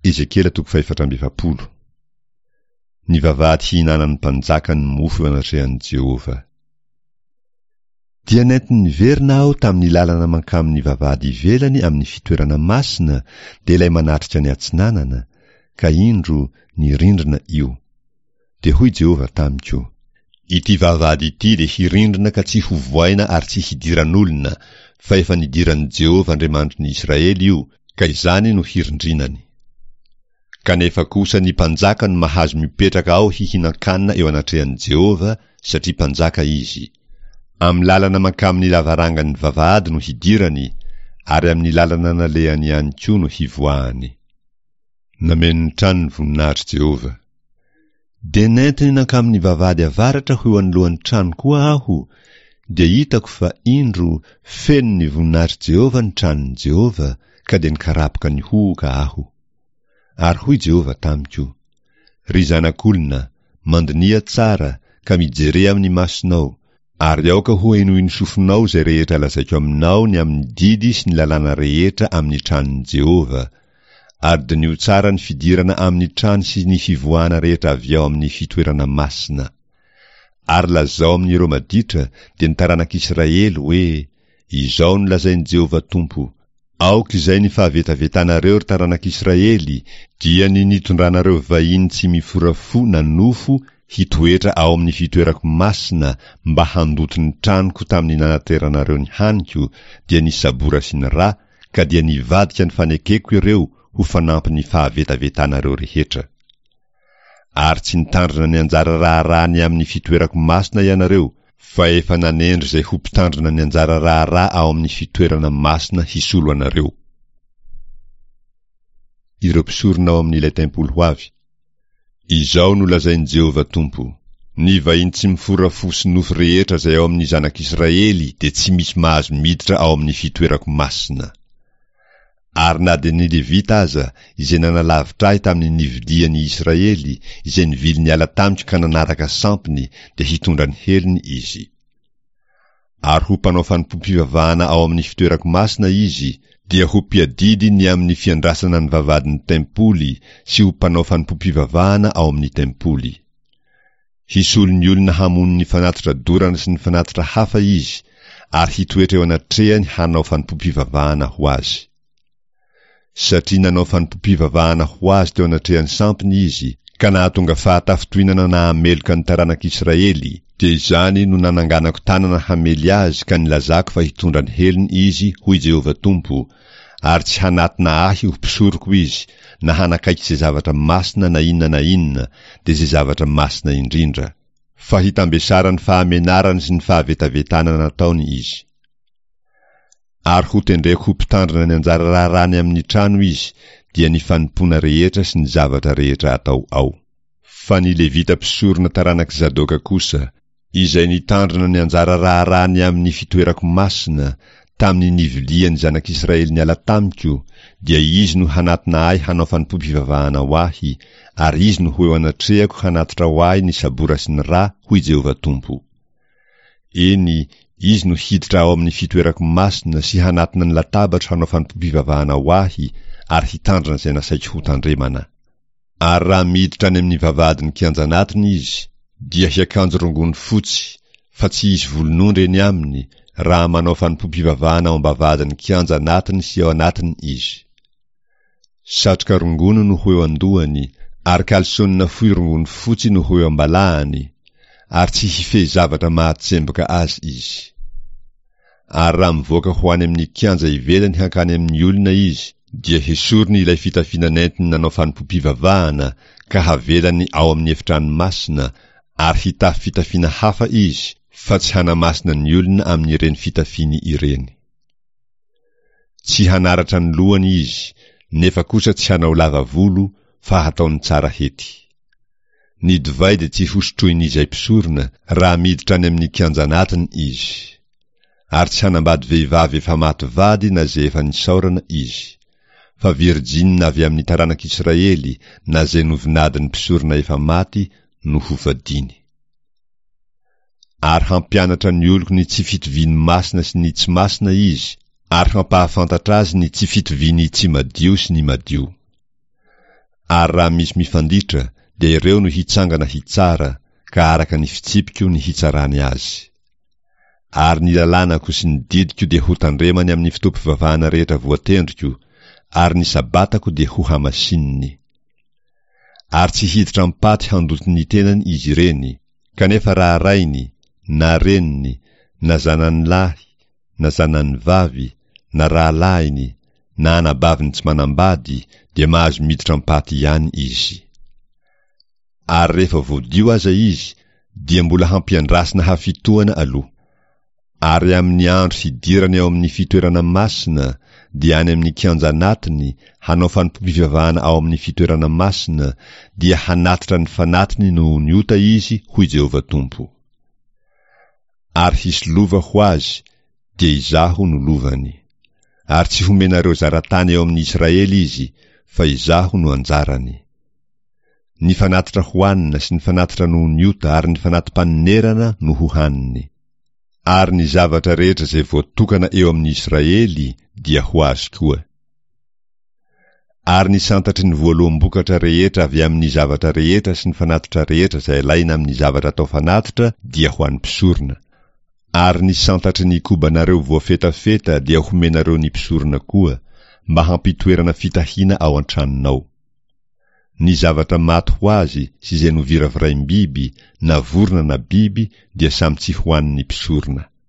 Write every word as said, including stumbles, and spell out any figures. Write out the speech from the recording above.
Ezekiela toko fahefatra amby efapolo. Ny vavahady hihinanan'ny mpanjaka ny mofo eo anatrehan'i Jehovah. Dia nentiny niverina aho tamin'ny lalana mankamin'ny vavahady ivelany amin'ny fitoerana masina, dia ilay manatrika ny atsinanana, ka indro, nirindrina io. Dia hoy Jehovah tamiko, Ity vavahady ity dia hirindrina ka tsy hovohaina ary tsy hidiran'olona, fa efa nidiran'i Jehovah Andriamanitry ny Israely io, ka izany no hirindrinany. Kanefa kosa ny mpanjaka no mahazo mipetraka ao hihinan-kanina eo anatrehan'i Jehovah, satria mpanjaka izy. Amin'ny lalana mankamin'ny lavarangan'ny vavahady no hidirany, ary amin'ny lalana nalehany ihany koa no hivoahany. Nameno ny trano ny voninahitr'i Jehovah. Dia nentiny nankamin'ny vavahady avaratra ho eo anoloan'ny trano koa aho, dia hitako fa, indro, feno ny voninahitr'i Jehovah ny tranon'i Jehovah, ka dia nikarapoka nihohoka aho. Ary hoy Jehovah tamiko, Ry zanak'olona, mandiniha tsara, ka mijere amin'ny masonao, ary aoka hohenoin'ny sofinao izay rehetra lazaiko aminao ny amin'ny didy sy ny lalàna rehetra amin'ny tranon'i Jehovah, ary diniho tsara ny fidirana amin'ny trano sy ny fivoahana rehetra avy ao amin'ny fitoerana masina. Ary lazao amin'ireo maditra, dia ny taranak'Israely, hoe, Izao no lazain'i Jehovah Tompo, Aoka izay ny fahavetavetanareo, ry taranak'Israely, dia ny nitondranareo vahiny tsy mifora fo na nofo hitoetra ao amin'ny fitoerako masina mba handoto ny tranoko tamin'ny nanateranareo ny haniko, dia ny sabora sy ny ra, ka dia nivadika ny fanekeko ireo ho fanampin'ny fahavetavetanareo rehetra. Ary tsy nitandrina ny anjara raharaha ny amin'ny fitoerako masina ianareo, fa efa nanendry izay ho mpitandrina ny anjara raharaha ao amin'ny fitoerana masina hisolo anareo. Ireo mpisorona ao amin'ilay tempoly ho avy. Izao no lazain'i Jehovah Tompo, Ny vahiny tsy mifora fo sy nofo rehetra izay ao amin'ny zanak'Israely dia tsy misy mahazo miditra ao amin'ny fitoerako masina. Ary na dia ny Levita aza, izay nanalavitra ahy tamin'ny nivilian'i Israely, izay nivily niala tamiko ka nanaraka sampiny, dia hitondra ny helony izy. Ary ho mpanao fanompoam-pivavahana ao amin'ny fitoerako masina izy, dia ho mpiadidy ny amin'ny fiandrasana ny vavahadin'ny tempoly sy ho mpanao fanompoam-pivavahana ao amin'ny tempoly. Hisolo ny olona hamono ny fanatitra dorana sy ny fanatitra hafa izy, ary hitoetra eo anatrehany hanao fanompoam-pivavahana ho azy. Satria nanao fanompoam-pivavahana ho azy teo anatrehan'ny sampiny izy, ka nahatonga fahatafintohinana nahameloka ny taranak'Israely, dia izany no nananganako tanana hamely azy ka nilazako fa hitondra ny helony izy, hoy Jehovah Tompo, ary tsy hanatona ahy ho mpisoroko izy, na hanakaiky izay zavatra masina na inona na inona, dia izay zavatra masina indrindra. Fa hitambesaran'ny fahamenarany sy ny fahavetavetana nataony izy. Ary hotendreko ho mpitandrina ny anjara raharahany amin'ny trano izy, dia ny fanompoana rehetra sy ny zavatra rehetra atao ao. Fa ny Levita mpisorona taranak'i Zadoka kosa, izay nitandrina ny anjara raharahany amin'ny fitoerako masina, tamin'ny nivilian'ny zanak'Israely niala tamiko, dia izy no hanatona ahy hanao fanompoam-pivavahana ho ahy, ary izy no ho eo anatrehako hanatitra ho ahy ny sabora sy ny ra, hoy Jehovah Tompo. Eny, izy no hiditra ao amin'ny fitoerako masina sy hanatona ny latabatro hanao fanompoam-pivavahana ho ahy ary hitandrina izay nasaiko hotandremana. Ary raha miditra any amin'ny vavahadin'ny kianja anatiny izy, dia hiakanjo rongony fotsy, fa tsy hisy volon'ondry eny aminy, raha manao fanompoam-pivavahana ao am-bavahadin'ny kianja anatiny sy ao anatiny izy. Satroka rongony no ho eo an-dohany, ary kalsonina fohy rongony fotsy no ho eo am-balahany, ary tsy hifehy zavatra mahatsemboka azy izy. Ary raha mivoaka ho any amin'ny kianja ivelany hankany amin'ny olona izy, dia hesoriny ilay fitafiana nentiny nanao fanompoam-pivavahana ka havelany ao amin'ny efitrano masina, ary hitafy fitafiana hafa izy, fa tsy hanamasina ny olona amin'ireny fitafiany ireny. Tsy hanaratra ny lohany izy, nefa kosa tsy hanao lava volo, fa hataony tsara hety. Ny divay dia tsy hosotroin'izay mpisorona raha miditra any amin'ny kianja anatiny izy. Ary tsy hanambady vehivavy efa maty vady na izay efa nisaorana izy. Fa virjinina avy amin'ny taranak'Israely na izay novinadin'ny mpisorona efa maty no hovadiany. Ary hampianatra ny oloko ny tsy fitovian'ny masina sy ny tsy masina izy, ary hampahafantatra azy ny tsy fitovian'ny tsy madio sy ny madio. Ary raha misy mifanditra, dia ireo no hitsangana hitsara, ka araka ny fitsipiko ny hitsarany azy. Ary ny lalànako sy ny didiko dia hotandremany amin'ny fotoam-pivavahana rehetra voatendriko, ary ny Sabatako dia hohamasininy. Ary tsy hiditra am-paty handoto ny tenany izy ireny, kanefa raha rainy, na reniny, na zanany lahy, na zanany vavy, na rahalahiny, na anabaviny tsy manambady, dia mahazo miditra am-paty ihany izy. Ary rehefa voadio aza izy, dia mbola hampiandrasina hafitoana aloha. Ary amin'ny andro hidirany ao amin'ny fitoerana masina, dia any amin'ny kianja anatiny, hanao fanompoam-pivavahana ao amin'ny fitoerana masina, dia hanatitra ny fanatiny noho ny ota izy, hoy Jehovah Tompo. Ary hisy lova ho azy, dia Izaho no lovany. Ary tsy homenareo zaratany eo amin'ny Israely izy, fa Izaho no anjarany. Ny fanatitra hohanina sy ny fanatitra noho ny ota ary ny fanati-panonerana no hohaniny. Ary ny zavatra rehetra izay voatokana eo amin'ny Israely dia ho azy koa. Ary ny santatry ny voaloham-bokatra rehetra avy amin'ny zavatra rehetra sy ny fanatitra rehetra izay alaina amin'ny zavatra atao fanatitra dia ho an'ny mpisorona. Ary ny santatry ny kobanareo voafetafeta dia homenareo ny mpisorona koa, mba hampitoerana fitahiana ao an-tranonao. Ny zavatra maty ho azy sy izay noviraviraim-biby, na vorona na biby, dia samy tsy hohanin'ny mpisorona.